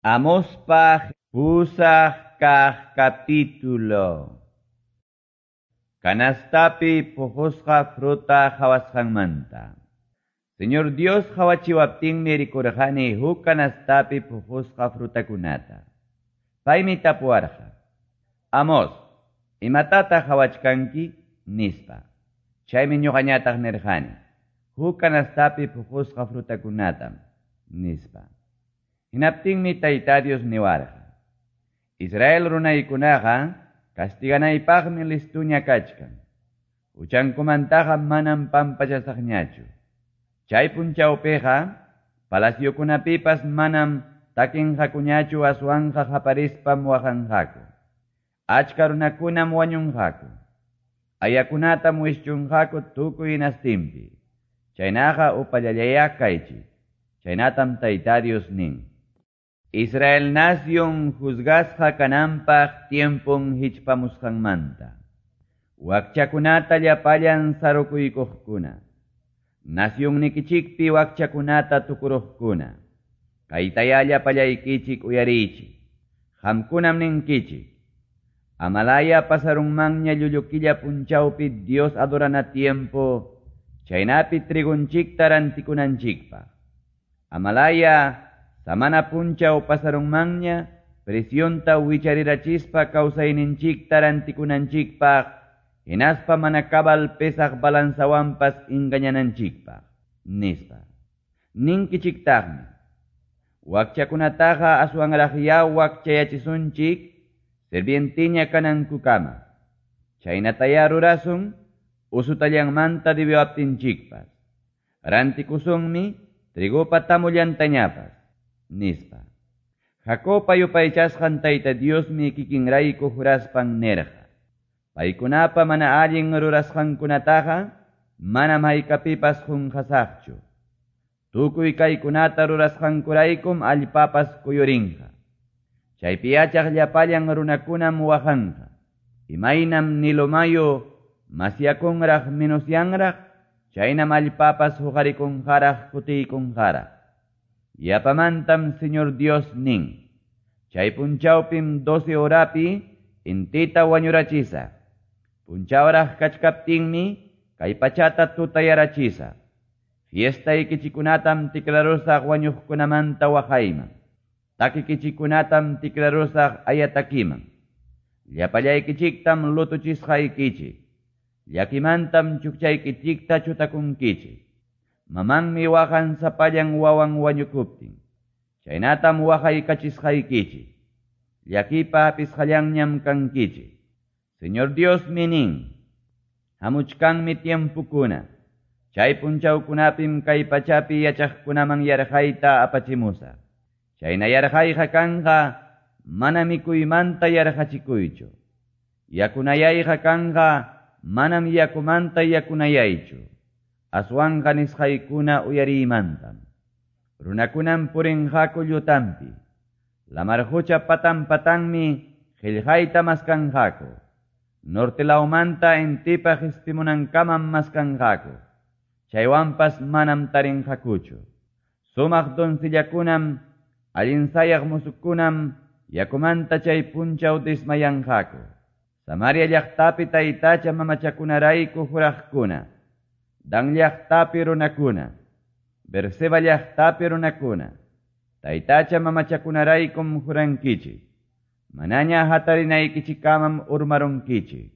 Amospa pusaq kaq capítulo. Canastapi puqusqa fruta qhawasqanmanta. Señor Dios qhawachiwaptinmi rikurqani huk canastapi puqusqa frutakunata. Paymi tapuwarqa: Amos, imatataq qhawachkanki? Nispa. Chaymi ñuqañataq nirqani: Huk canastapi puqusqa frutakunatam, nispa. Hinaptinmi Tayta Dios niwarqa: Israel runaykunaqa castiganaypaqmi listuña kachkan. Huchankumantaqa manam pampachasaqñachu. Chay punchawpiqa palaciokunapipas manam takinqakuñachu aswanqa qaparispam waqanqaku. Achka runakunam wañunqaku. Ayakunatam wischunqaku tukuy hinastinpi. Chaynaqa upallallayá kaychik. Chaynatam Tayta Dios nin. Israel nación juzgasqa kananpaq tiempon hichpamusqanmanta. Wakchakunata llapallan sarukuykuqkuna. Nacionnikichikpi wakchakunata tukuruqkuna. Kaytayá llapallaykichik uyariychik. Qamkunam ninkichik: Amalaya pasarunmanña llullu punchawpi Dios adorana tiempo, chaynapi trigunchikta rantikunanchikpaq. Amalaya samana punchaw pasarunmanña presionta wicharirachispa kawsayninchikta rantikunanchikpaq, hinaspa mana cabal pesaq balanzawanpas engañananchikpaq, nispa. Ninkichiktaqmi: Wakchakunataqa aswanraqyá wakchayachisunchik sirvientiña kanankukama. Chaynatayá rurasun usutallanmanta debiwaptinchikpas. Rantikusunmi trigupa tamullantañapas, nispa. Jacobpa yupaychasqan Tayta Diosmi kikinrayku juraspan nirqa: Paykunapa mana allin rurasqankunataqa manam haykapipas qunqasaqchu. Tukuy kaykunata rurasqankuraykum allpapas kuyurinqa. Chaypi yachaq llapallan runakunam waqanqa. Imaynam Nilo mayu masyakunraq menosyanraq, chaynam allpapas huqarikunqaraq kutiykunqaraq. Yapamantam Señor Dios nin: Chay punchawpim 12 horapi intita wañurachisaq. Punchawraq kachkaptinmi kay pachata tutayarachisaq. Fiestaykichikunatam tikrarusaq wañuqkunamanta waqayman. Takikichikunatam tikrarusaq ayatakiman. Llapallaykichiktam lutuchisqaykichik. Llakimantam chukchaykichikta chutakunkichik. Mamanmi waqan sapallan wawan wañukuptin. Chaynatam waqaykachisqaykichik. Llakipa hapisqallanñam kankichik. Señor Diosmi nin: Hamuchkanmi tiempukuna. Chay punchawkunapim kay pachapi yachaqkunaman yarqayta apachimusaq. Chayna yarqayqa kanqa mana mikuymanta yarqachikuychu. Yakunayayqa kanqa manam yakumanta yakunayaychu. Aswanqa nisqaykuna uyariymantam. Runakunam purinqaku llutampi. Lamar qucha patan patanmi qillqayta maskanqaku. Norte lawmanta intipa qispimunankamam maskanqaku. Chaywanpas manam tarinqakuchu. Sumaq doncellakunam, allin sayaq musukunam yakumanta chay punchaw desmayanqaku. Samaria llaqtapi taytacha mamachakunarayku juraqkuna. Dan llaqtapi runakuna, Berseba llaqtapi runakuna, taytacha mamachakunaraykum jurankichik. Manaña hatarinaykichikamam urmarunkichik.